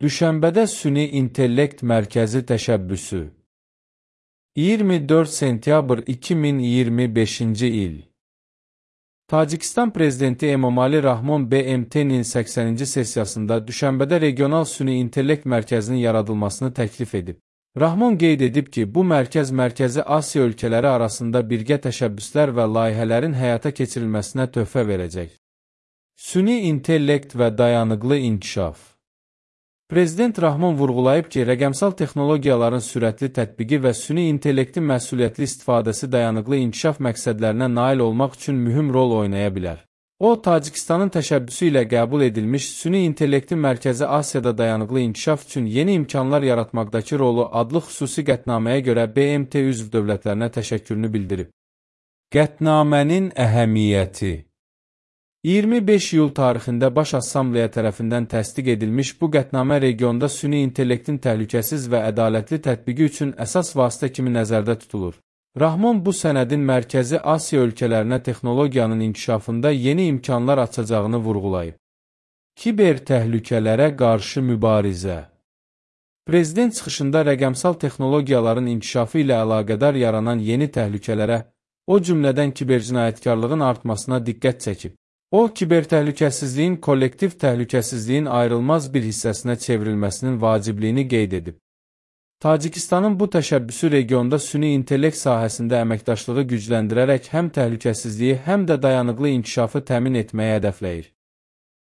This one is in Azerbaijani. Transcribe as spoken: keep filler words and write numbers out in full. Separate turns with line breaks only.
Düşənbədə Süni İntellekt Mərkəzi təşəbbüsü. iyirmi dörd sentyabr iki min iyirmi beşinci il. Tacikistan Prezidenti Emomali Rahmon B M T'nin səksəninci sessiyasında Düşənbədə Regional Süni İntellekt Mərkəzinin yaradılmasını təklif edib. Rahmon qeyd edib ki, bu mərkəz Mərkəzi Asiya ölkələri arasında birgə təşəbbüslər və layihələrin həyata keçirilməsinə töhfə verəcək. Süni intellekt və dayanıqlı inkişaf. Prezident Rahmon vurğulayıb ki, rəqəmsal texnologiyaların sürətli tətbiqi və süni intellektin məsuliyyətli istifadəsi dayanıqlı inkişaf məqsədlərinə nail olmaq üçün mühüm rol oynaya bilər. O, Tacikistanın təşəbbüsü ilə qəbul edilmiş Süni İntellektin Mərkəzi Asiyada dayanıqlı inkişaf üçün yeni imkanlar yaratmaqdakı rolu adlı xüsusi qətnaməyə görə B M T üzv dövlətlərinə təşəkkürünü bildirib. Qətnamənin əhəmiyyəti. iyirmi beş iyul tarixində Baş Assambleya tərəfindən təsdiq edilmiş bu qətnamə regionda süni intellektin təhlükəsiz və ədalətli tətbiqi üçün əsas vasitə kimi nəzərdə tutulur. Rahmon bu sənədin Mərkəzi Asiya ölkələrinə texnologiyanın inkişafında yeni imkanlar açacağını vurğulayıb. Kiber təhlükələrə qarşı mübarizə. Prezident çıxışında rəqəmsal texnologiyaların inkişafı ilə əlaqədar yaranan yeni təhlükələrə, o cümlədən kibercinayətkarlığın artmasına diqqət çəkib. O, kiber təhlükəsizliyin kollektiv təhlükəsizliyin ayrılmaz bir hissəsinə çevrilməsinin vacibliyini qeyd edib. Tacikistanın bu təşəbbüsü regionda süni intellekt sahəsində əməkdaşlığı gücləndirərək həm təhlükəsizliyi, həm də dayanıqlı inkişafı təmin etməyi hədəfləyir.